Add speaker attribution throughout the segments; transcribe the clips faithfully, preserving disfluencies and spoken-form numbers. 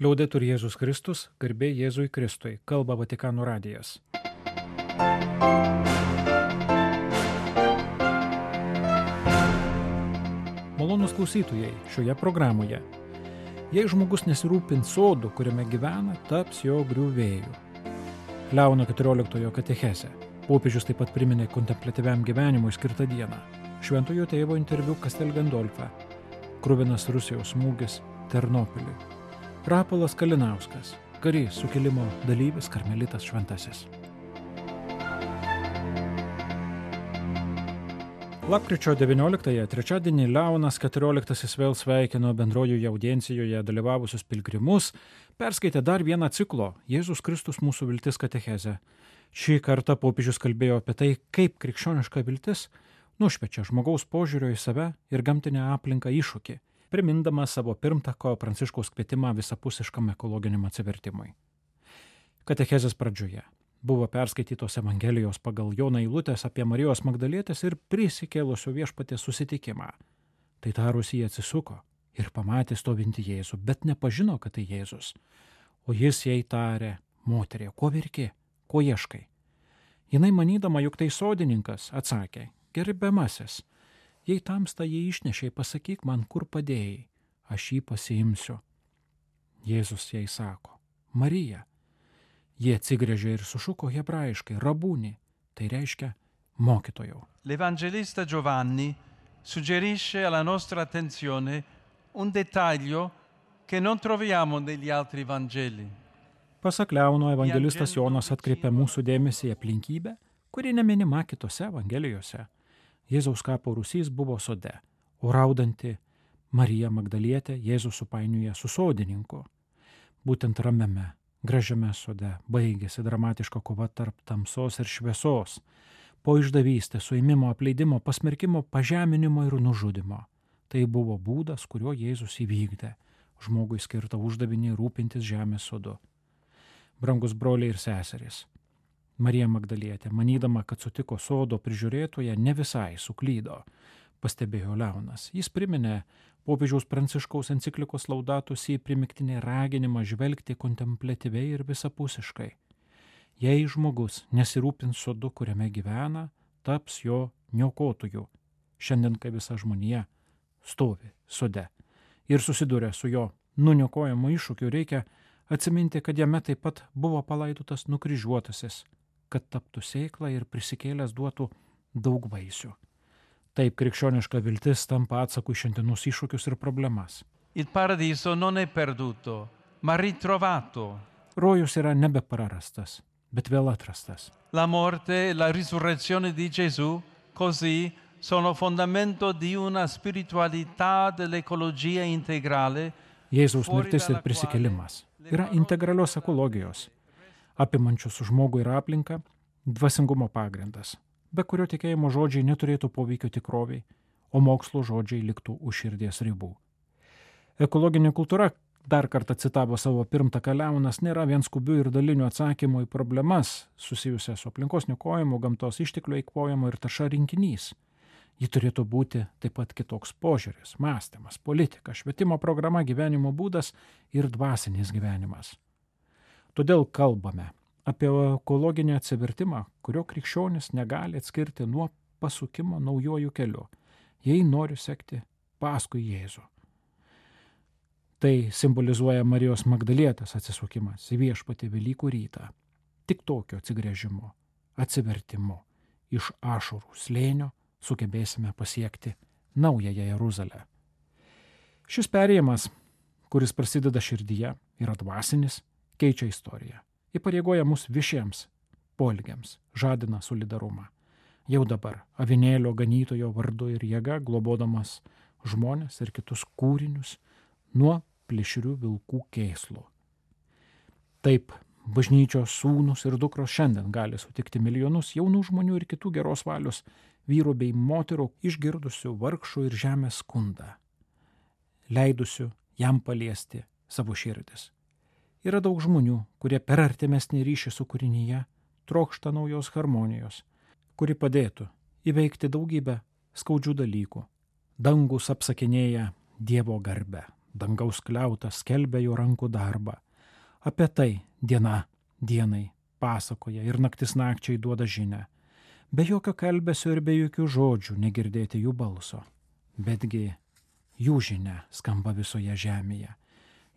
Speaker 1: Liaudetur Jėzus Kristus, garbė Jėzui Kristui, kalba Vatikano radijas. Malonūs klausytojai, šioje programoje. Jei žmogus nesirūpins sodu, kuriame gyvena, taps jo griuvėju. Leono keturioliktojo katechezė. Popiežius taip pat priminė kontempliatyviam gyvenimui skirtą dieną. Šventojo tėvo interviu Castel Gandolfe. Kruvinas Rusijos smūgis Ternopiliui. Rapolas Kalinauskas, karys sukilimo dalyvis karmelitas šventasis. Lapkričio devynioliktąją trečiadienį Leonas keturioliktasis vėl sveikino bendrojoje audiencijoje dalyvavusius pilgrimus, perskaitė dar vieną ciklo Jėzus Kristus mūsų viltis katechezę. Šį kartą popiežius kalbėjo apie tai, kaip krikščioniška viltis nušviečia žmogaus požiūrio į save ir gamtinę aplinką iššūkį, primindama savo pirmtako Pranciškaus kvietimą visapusiškam ekologiniam atsivertimui. Katechezės pradžioje buvo perskaitytos Evangelijos pagal Joną eilutės apie Marijos Magdalietės ir prisikėlusio viešpaties susitikimą. Tai tarus jį atsisuko ir pamatė stovintį Jėzų, bet nepažino, kad tai Jėzus. O jis jai tarė: moterie, ko verki, ko ieškai? Jinai manydama, jog tai sodininkas, atsakė: gerbiamasis, jei tamsta jį išnešei, pasakyk man, kur padėjai, aš jį pasiimsiu. Jėzus jai sako: Marija. Jie atsigręžė ir sušuko hebrajiškai: rabūni, tai reiškia mokytojau.
Speaker 2: L'Evangelista Giovanni suggerisce alla nostra attenzione un dettaglio che non troviamo negli altri Vangeli.
Speaker 1: Pasak Leono, evangelistas Jonas atkreipia mūsų dėmesį į aplinkybę, kuri neminima kitose Evangelijose. Jėzaus kapo rūsys buvo sode, o raudanti Marija Magdalietė Jėzus supainioja su sodininku. Būtent ramiame, gražiame sode baigėsi dramatiška kova tarp tamsos ir šviesos, po išdavystės, suėmimo, apleidimo, pasmerkimo, pažeminimo ir nužudimo. Tai buvo būdas, kuriuo Jėzus įvykdė žmogui skirtą uždavinį rūpintis žemės sodu. Brangus broliai ir seserys, Marija Magdalietė, manydama, kad sutiko sodo prižiūrėtoje, ne visai suklydo, pastebėjo Leonas. Jis priminė popiežiaus Pranciškaus enciklikos Laudato Si primiktinį raginimą žvelgti kontempliatyviai ir visapusiškai. Jei žmogus nesirūpins sodu, kuriame gyvena, taps jo niokotoju. Šiandien, kai visa žmonija stovi sode ir susiduria su jo nuniokojimo iššūkiu, reikia atsiminti, kad jame taip pat buvo palaidotas nukryžiuotasis, kad taptų sėklą ir prisikėlęs duotų daug vaisių. Taip krikščioniška viltis tampa atsaku į šiandienos iššūkius ir problemas.
Speaker 2: Il paradiso non è perduto, ma ritrovato.
Speaker 1: Rojus yra nebeprarastas, bet vėl atrastas.
Speaker 2: La morte e la risurrezione di Gesù, così, sono fondamento di una spiritualità dell'ecologia integrale.
Speaker 1: Jėzaus mirtis ir prisikėlimas yra integralios ekologijos, apimančios žmogų ir aplinką, dvasingumo pagrindas, be kurio tikėjimo žodžiai neturėtų poveikio tikroviai, o mokslo žodžiai liktų už širdies ribų. Ekologinė kultūra, dar kartą citavo savo pirmtaką Leonas, nėra vien skubių ir dalinių atsakymų į problemas susijusias su aplinkos niokojimu, gamtos išteklių eikvojimu ir tarša rinkinys. Ji turėtų būti taip pat kitoks požiūris, mąstymas, politika, švietimo programa, gyvenimo būdas ir dvasinis gyvenimas. Todėl kalbame apie ekologinį atsivertimą, kurio krikščionis negali atskirti nuo pasukimo naujojų keliu, jei nori sekti paskui Jėzų. Tai simbolizuoja Marijos Magdalietės atsisukimas į viešpatį Velykų rytą. Tik tokio atsigręžimo, atsivertimo iš ašarų slėnio sugebėsime pasiekti naująją Jeruzalę. Šis perėjimas, kuris prasideda širdyje, yra dvasinis, keičia istoriją, įpareigoja mus viešiems poelgiams, žadina solidarumą. Jau dabar avinėlio ganytojo vardu ir jėga, globodamas žmones ir kitus kūrinius nuo plėšrių vilkų kėslų. Taip, bažnyčios sūnus ir dukros šiandien gali sutikti milijonus jaunų žmonių ir kitų geros valios vyrų bei moterų išgirdusių vargšų ir žemės skundą, leidusių jam paliesti savo širdis. Yra daug žmonių, kurie per artimesnį ryšį su kūrinyje trokšta naujos harmonijos, kuri padėtų įveikti daugybę skaudžių dalykų. Dangus apsakinėja Dievo garbę, dangaus kliautas skelbia jo rankų darbą. Apie tai diena dienai pasakoja ir naktis nakčiai duoda žinią. Be jokio kalbesio ir be jokių žodžių negirdėti jų balso. Betgi jų žinia skamba visoje žemėje.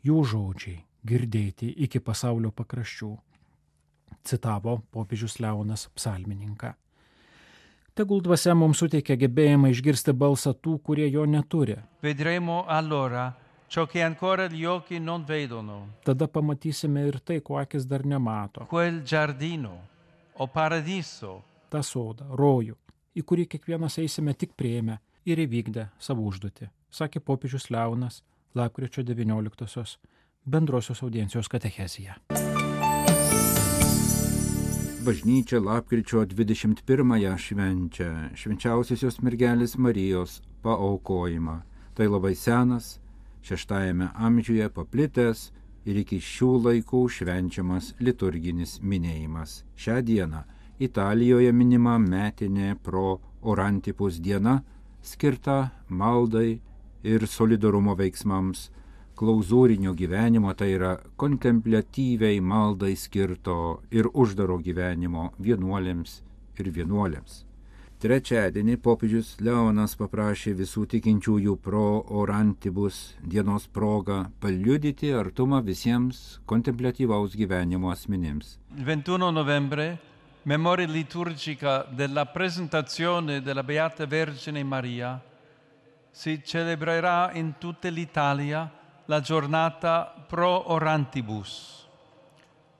Speaker 1: Jų žodžiai girdėti iki pasaulio pakraščių. Citavo popiežius Leonas psalmininką. Tegul dvasia mums suteikia gebėjimą išgirsti balsą tų, kurie jo neturi.
Speaker 2: Vedremo allora ciò che ancora gli occhi non vedono.
Speaker 1: Tada pamatysime ir tai, ko akis dar nemato.
Speaker 2: Quel giardino o paradiso.
Speaker 1: Ta sodą, rojų, į kurį kiekvienas eisime tik priėmę ir įvykdę savo užduotį, sakė popiežius Leonas lapkričio devynioliktosios bendrosios audiencijos katechezija.
Speaker 3: Bažnyčia lapkričio dvidešimt pirmąją švenčia švenčiausiosios mergelės Marijos paaukojimą. Tai labai senas, šeštajame amžiuje paplitęs ir iki šių laikų švenčiamas liturginis minėjimas. Šią dieną Italijoje minima metinė pro orantipus diena, skirta maldai ir solidarumo veiksmams, klauzūrinio gyvenimo, tai yra kontempliatyviai maldai skirto ir uždaro gyvenimo vienuolėms ir vienuolėms. Trečiadienį popiežius Leonas paprašė visų tikinčiųjų pro orantibus dienos progą paliudyti artumą visiems kontempliatyvaus gyvenimo asmenims.
Speaker 2: ventuno novembre, memoria liturgica della presentazione della Beata Vergine Maria, si celebrerà in tutta l'Italia la giornata pro orantibus.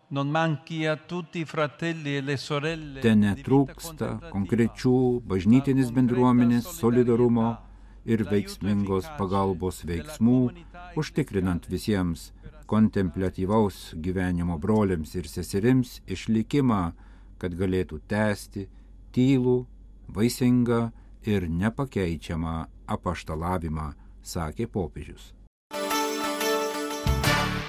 Speaker 2: Non manchi a tutti i fratelli e le sorelle.
Speaker 3: Ten netrūksta konkrečių bažnytinės bendruomenės solidarumo ir veiksmingos pagalbos veiksmų, užtikrinant visiems kontempliatyvaus gyvenimo broliams ir seserims išlikimą, kad galėtų tęsti tylų, vaisingą ir nepakeičiamą apaštalavimą, sakė popiežius.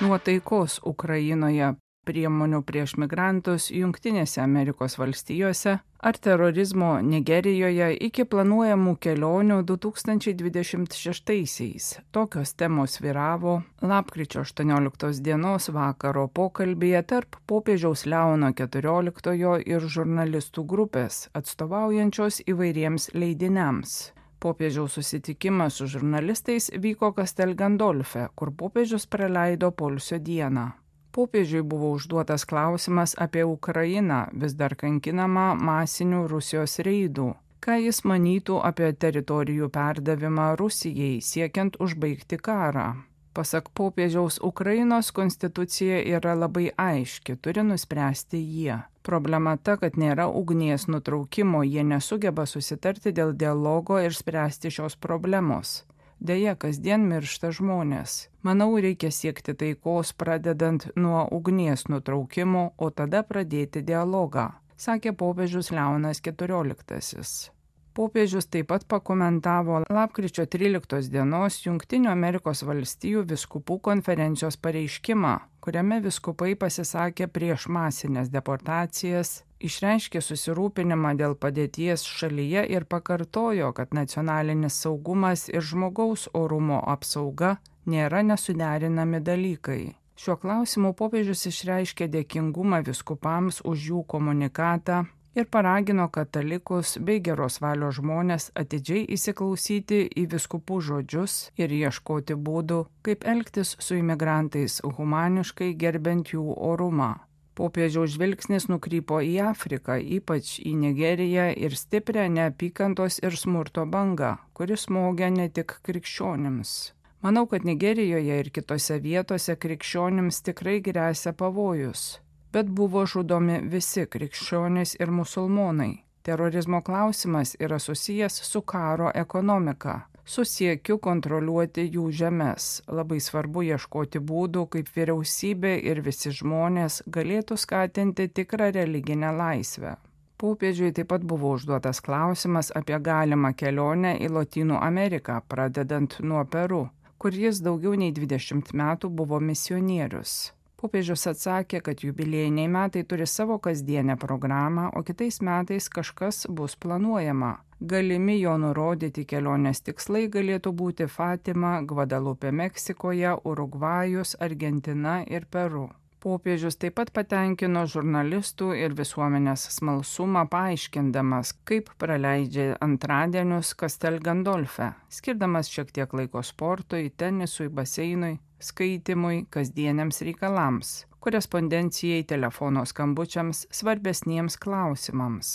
Speaker 4: Nuo taikos Ukrainoje, priemonių prieš migrantus Jungtinėse Amerikos valstijose ar terorizmo Nigerijoje iki planuojamų kelionių du tūkstančiai dvidešimt šeštaisiais. Tokios temos vyravo lapkričio aštuonioliktos dienos vakaro pokalbyje tarp popiežiaus Leono keturioliktojo ir žurnalistų grupės, atstovaujančios įvairiems leidiniams. Popiežiaus susitikimas su žurnalistais vyko Castel Gandolfe, kur popiežius praleido poilsio dieną. Popiežiui buvo užduotas klausimas apie Ukrainą, vis dar kankinamą masinių Rusijos reidų. Ką jis manytų apie teritorijų perdavimą Rusijai, siekiant užbaigti karą. Pasak popiežiaus, Ukrainos konstitucija yra labai aiški, turi nuspręsti jie. Problema ta, kad nėra ugnies nutraukimo, jie nesugeba susitarti dėl dialogo ir spręsti šios problemos. Deja, kasdien miršta žmonės. Manau, reikia siekti taikos, pradedant nuo ugnies nutraukimo, o tada pradėti dialogą, sakė popiežius Leonas keturioliktasis. Popiežius taip pat pakomentavo lapkričio tryliktos dienos Jungtinių Amerikos valstijų vyskupų konferencijos pareiškimą, kuriame vyskupai pasisakė prieš masinės deportacijas, išreiškė susirūpinimą dėl padėties šalyje ir pakartojo, kad nacionalinis saugumas ir žmogaus orumo apsauga nėra nesuderinami dalykai. Šiuo klausimu popiežius išreiškė dėkingumą vyskupams už jų komunikatą ir paragino katalikus bei geros valios žmonės atidžiai įsiklausyti į vyskupų žodžius ir ieškoti būdų, kaip elgtis su imigrantais humaniškai gerbent jų orumą. Popiežiaus žvilgsnis nukrypo į Afriką, ypač į Nigeriją ir stiprią neapykantos ir smurto bangą, kuris smogia ne tik krikščionims. Manau, kad Nigerijoje ir kitose vietose krikščionims tikrai gresia pavojus. Bet buvo žudomi visi krikščionys ir musulmonai. Terorizmo klausimas yra susijęs su karo ekonomika, su siekiu kontroliuoti jų žemes. Labai svarbu ieškoti būdų, kaip vyriausybė ir visi žmonės galėtų skatinti tikrą religinę laisvę. Popiežiui taip pat buvo užduotas klausimas apie galimą kelionę į Lotynų Ameriką, pradedant nuo Peru, kur jis daugiau nei dvidešimt metų buvo misionierius. Popiežius atsakė, kad jubiliejiniai metai turi savo kasdienę programą, o kitais metais kažkas bus planuojama. Galimi jo nurodyti kelionės tikslai galėtų būti Fatima, Gvadalupė Meksikoje, Urugvajus, Argentina ir Peru. Popiežius taip pat patenkino žurnalistų ir visuomenės smalsumą paaiškindamas, kaip praleidžia antradienius Castel Gandolfe, skirdamas šiek tiek laiko sportui, tenisui, baseinui, skaitimui, kasdieniams reikalams, korespondencijai, telefono skambučiams, svarbesniems klausimams.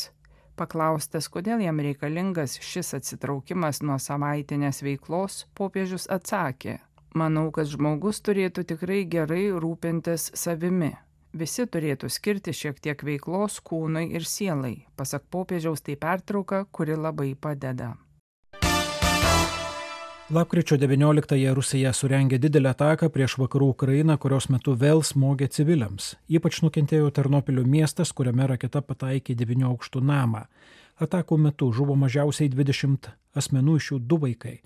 Speaker 4: Paklaustas, kodėl jam reikalingas šis atsitraukimas nuo savaitinės veiklos, popiežius atsakė: Manau, kad žmogus turėtų tikrai gerai rūpintis savimi. Visi turėtų skirti šiek tiek veiklos kūnui ir sielai. Pasak popiežiaus, tai pertrauka, kuri labai padeda.
Speaker 1: Lapkričio devynioliktąją Rusija surengė didelę ataką prieš vakarų Ukrainą, kurios metu vėl smogė civiliams. Ypač nukentėjo Ternopilio miestas, kuriame raketa pataikė devynių aukštų namą. Atakų metu žuvo mažiausiai dvidešimt asmenų, iš jų du vaikai.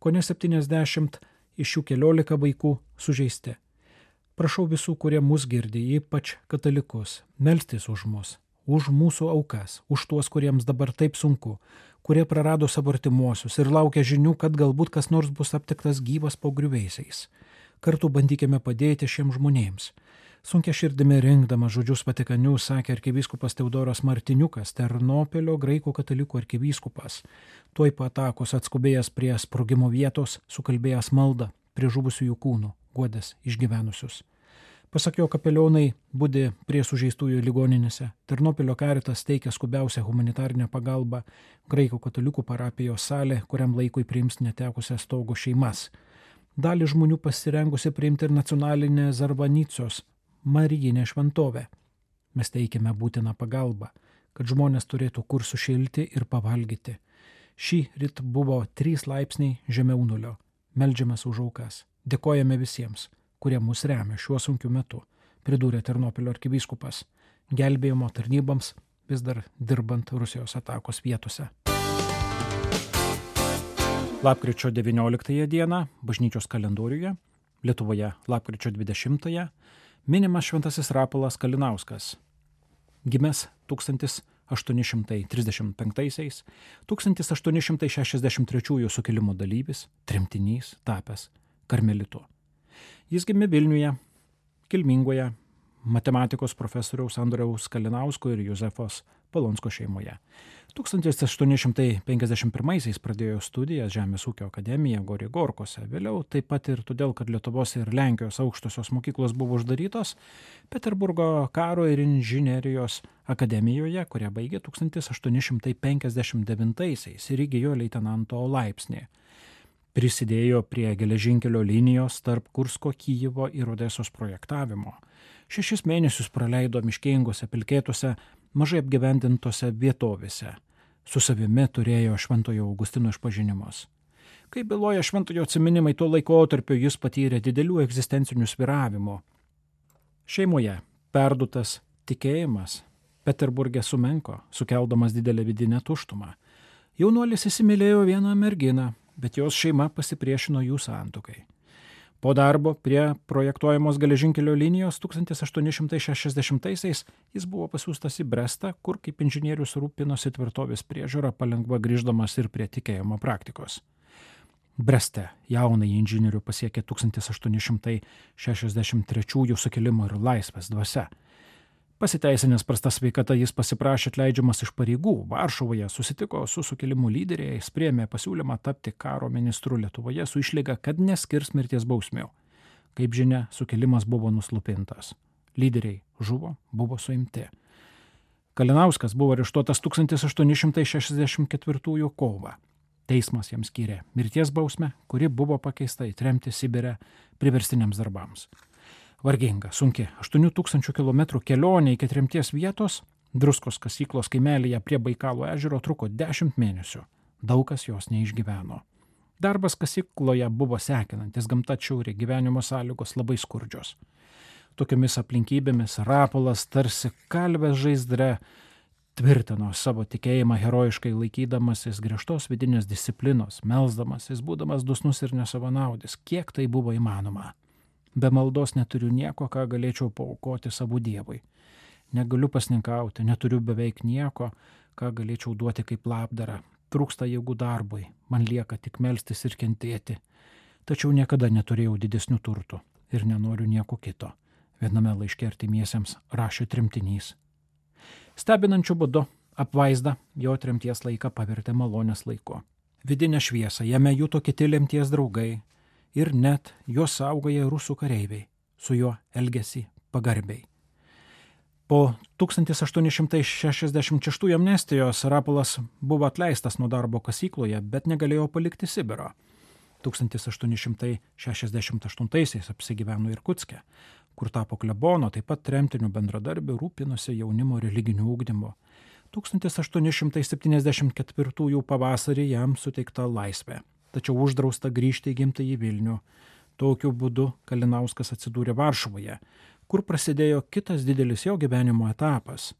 Speaker 1: Kone septyniasdešimt iš jų keliolika vaikų sužeisti. Prašau visų, kurie mus girdi, ypač katalikus, melstis už mus, už mūsų aukas, už tuos, kuriems dabar taip sunku, kurie prarado savo artimuosius ir laukia žinių, kad galbūt kas nors bus aptiktas gyvas po griuvėsiais. Kartu bandykime padėti šiems žmonėms. Sunkia širdimi rinkdamas žodžius Vatikaniu, sakė arkivyskupas Teodoras Martiniukas, Ternopilio graikų katalikų arkivyskupas. Tuoj po atakos atskubėjęs prie sprogimo vietos, sukalbėjęs maldą prie žuvusiųjų kūnų, guodęs išgyvenusius. Pasak jo, kapelionai budi prie sužeistųjų ligoninėse. Ternopilio karitas teikia skubiausią humanitarinę pagalbą, graikų katalikų parapijos salė, kuriam laikui priims netekusią stogo šeimas. Dalį žmonių pasirengusi priimti ir nacionalinė Zarvanicos Marijinė šventovė. Mes teikiame būtiną pagalbą, kad žmonės turėtų kur sušilti ir pavalgyti. Šį ryt buvo trys laipsniai žemiau nulio. Meldžiamės už aukas. Dėkojame visiems, kurie mus remia šiuo sunkiu metu, pridūrė Ternopilio arkivyskupas, gelbėjimo tarnyboms vis dar dirbant Rusijos atakos vietose. Lapkričio devynioliktąją dieną bažnyčios kalendoriuje, Lietuvoje lapkričio dvidešimtąją, minimas šventasis Rapolas Kalinauskas. Gimęs tūkstantis aštuoni šimtai trisdešimt penktaisiais, tūkstantis aštuoni šimtai šešiasdešimt trečiųjų sukilimo dalyvis, tremtinys, tapęs karmelitu. Jis gimė Vilniuje, kilmingoje matematikos profesoriaus Andriaus Kalinausko ir Juzefos Polonsko šeimoje. tūkstantis aštuoni šimtai penkiasdešimt pirmaisiais pradėjo studijas Žemės ūkio akademija Gorygorkose. Vėliau taip pat ir todėl, kad Lietuvos ir Lenkijos aukštosios mokyklos buvo uždarytos, Peterburgo karo ir inžinerijos akademijoje, kurią baigė tūkstantis aštuoni šimtai penkiasdešimt devintaisiais ir įgijo leitenanto laipsnį. Prisidėjo prie geležinkelio linijos tarp Kursko, Kyjivo ir Odesos projektavimo. Šešis mėnesius praleido miškingose, pilkėtose, mažai apgyvendintose vietovėse. Su savimi turėjo Šventojo Augustino išpažinimus. Kaip byloja Šventojo atsiminimai, tuo laikotarpiu jis patyrė didelių egzistencinių svyravimų. Šeimoje perdutas tikėjimas Peterburge sumenko, sukeldamas didelę vidinę tuštumą. Jaunuolis įsimylėjo vieną merginą, bet jos šeima pasipriešino jų santuokai. Po darbo prie projektuojamos geležinkelio linijos tūkstantis aštuoni šimtai šešiasdešimtaisiais jis buvo pasiųstas į Brestą, kur kaip inžinierius rūpinosi tvirtovės priežiūra, palengva grįždamas ir prie tikėjimo praktikos. Breste jaunąjį inžinierių pasiekė tūkstantis aštuoni šimtai šešiasdešimt trečiųjų sukilimo ir laisvės dvasia. Pasiteisinęs prasta sveikata, jis pasiprašė atleidžiamas iš pareigų. Varšuvoje susitiko su sukilimų lyderiais, priėmė pasiūlymą tapti karo ministru Lietuvoje su išlyga, kad neskirs mirties bausmių. Kaip žinia, sukilimas buvo nuslupintas. Lyderiai žuvo, buvo suimti. Kalinauskas buvo areštuotas tūkstantis aštuoni šimtai šešiasdešimt ketvirtųjų kovą. Teismas jam skyrė mirties bausmę, kuri buvo pakeista į tremtį Sibire priverstiniams darbams. Varginga, sunki, aštuonių tūkstančių kilometrų kelionė iki tremties vietos, Druskos kasyklos kaimelyje prie Baikalo ežero truko dešimt mėnesių. Daug kas jos neišgyveno. Darbas kasykloje buvo sekinantis, gamta atšiauri, gyvenimo sąlygos labai skurdžios. Tokiomis aplinkybėmis Rapolas tarsi kalvės žaizdre tvirtino savo tikėjimą herojiškai laikydamasis griežtos vidinės disciplinos, melsdamasis, būdamas dusnus ir nesavanaudis, kiek tai buvo įmanoma. Be maldos neturiu nieko, ką galėčiau paaukoti savo Dievui. Negaliu pasninkauti, neturiu beveik nieko, ką galėčiau duoti kaip labdarą. trūksta jėgų darbui, man lieka tik melstis ir kentėti. Tačiau niekada neturėjau didesnių turtų ir nenoriu nieko kito. Viename laiške artimiesiems rašė tremtinys. Stebinančiu būdu apvaizda jo tremties laiką pavertė malonės laiku. Vidinę šviesą jame juto kiti lemties draugai ir net juos saugoja rusų kareiviai, su juo elgėsi pagarbiai. Po tūkstantis aštuoni šimtai šešiasdešimt šeštųjų amnestijos Rapolas buvo atleistas nuo darbo kasykloje, bet negalėjo palikti Sibiro. tūkstantis aštuoni šimtai šešiasdešimt aštuntaisiais apsigyveno Irkutske, kur tapo klebono, taip pat tremtinių bendradarbių, rūpinosi jaunimo religiniu ugdymu. tūkstantis aštuoni šimtai septyniasdešimt ketvirtųjų pavasarį jam suteikta laisvė, tačiau uždrausta grįžti į gimtąjį Vilnių. Tokiu būdu Kalinauskas atsidūrė Varšuvoje, kur prasidėjo kitas didelis jo gyvenimo etapas.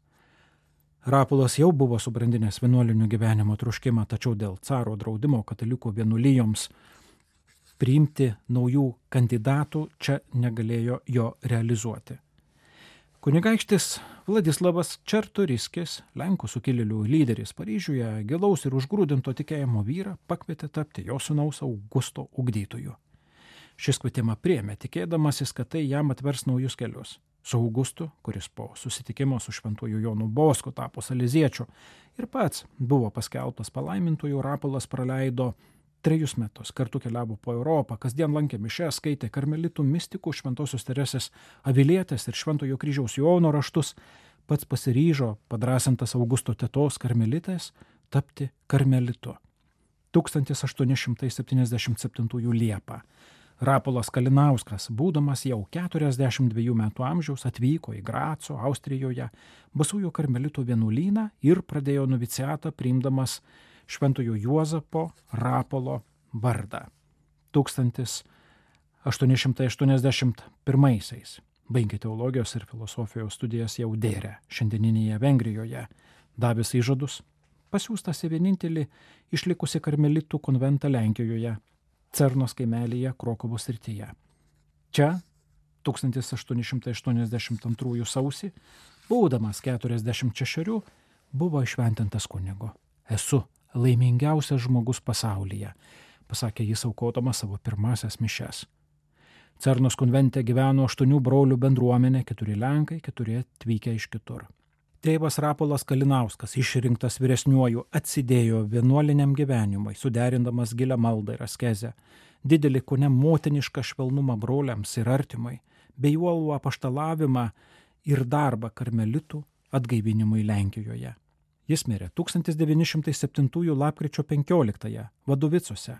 Speaker 1: Rapolas jau buvo subrandinęs vienuolinių gyvenimo troškimą, tačiau dėl caro draudimo katalikų vienuolijoms priimti naujų kandidatų čia negalėjo jo realizuoti. Kunigaikštis Vladislavas Čartoriskis, Lenkų sukilėlių lyderis Paryžiuje, gilaus ir užgrūdinto tikėjimo vyrą pakvietė tapti jo sūnaus Augusto ugdytoju. Šis kvietimą priėmė, tikėdamasis, kad tai jam atvers naujus kelius. Su Augustu, kuris po susitikimo su šventuoju Jonu Bosku tapo saleziečiu ir pats buvo paskelbtas palaimintuoju, Rapolas praleido trejus metus, kartu keliavo po Europą, kasdien lankė mišes, skaitė karmelitų mistikų, šventosios Teresės Avilietės ir šventojo kryžiaus Jono raštus, pats pasiryžo, padrasintas Augusto tetos karmelitės, tapti karmelitu. tūkstantis aštuoni šimtai septyniasdešimt septintųjų Liepą Rapolas Kalinauskas, būdamas jau keturiasdešimt dviejų metų amžiaus, atvyko į Graco, Austrijoje, basųjų karmelitų vienuolyną ir pradėjo noviciatą priimdamas šventojo Juozapo Rapolo vardą. tūkstantis aštuoni šimtai aštuoniasdešimt pirmaisiais baigė teologijos ir filosofijos studijas jau Dėre, šiandieninėje Vengrijoje, davęs įžadus, pasiųstas į vienintelį išlikusi karmelitų konventą Lenkijoje, Cernos kaimelyje Krokuvos srityje. Čia tūkstantis aštuoni šimtai aštuoniasdešimt antrųjų sausį, būdamas keturiasdešimt šešerių, buvo išventintas kunigu. Esu laimingiausias žmogus pasaulyje, pasakė jis aukodamas savo pirmasias mišes. Cernos konvente gyveno aštuonių brolių bendruomenė, keturi lenkai, keturi atvykę iš kitur. Tėvas Rapolas Kalinauskas, išrinktas vyresniuoju, atsidėjo vienuoliniam gyvenimui, suderindamas gilią maldą ir askezę, didelį kone motinišką švelnumą broliams ir artimai, bei uolų apaštalavimą ir darbą karmelitų atgaivinimui Lenkijoje. Jis mirė tūkstantis devyni šimtai septintųjų lapkričio penkioliktąją Vadovicuose,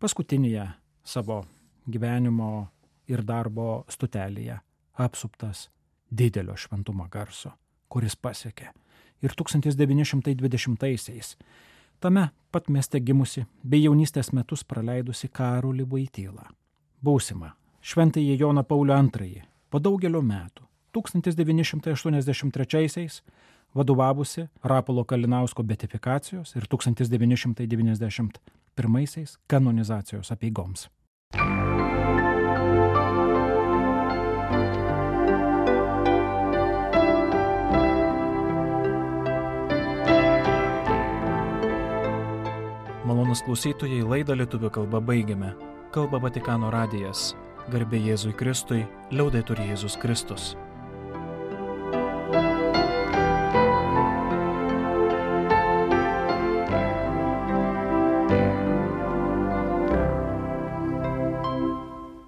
Speaker 1: paskutinėje savo gyvenimo ir darbo stotelėje, apsuptas didelio šventumo garso, kuris pasiekė ir tūkstantis devyni šimtai dvidešimtaisiais tame pat mieste gimusi bei jaunystės metus praleidusi Karolį Voitylą. Būsimą šventąjį Joną Paulių antrąjį po daugelio metų tūkstantis devyni šimtai aštuoniasdešimt trečiaisiais vadovavusi Rapolo Kalinausko beatifikacijos ir tūkstantis devyni šimtai devyniasdešimt pirmaisiais kanonizacijos apeigoms. Malonus klausytojai, laidą lietuvių kalba baigiame. Kalba Vatikano radijas. Garbė Jėzui Kristui, liaudetur Jėzus Kristus.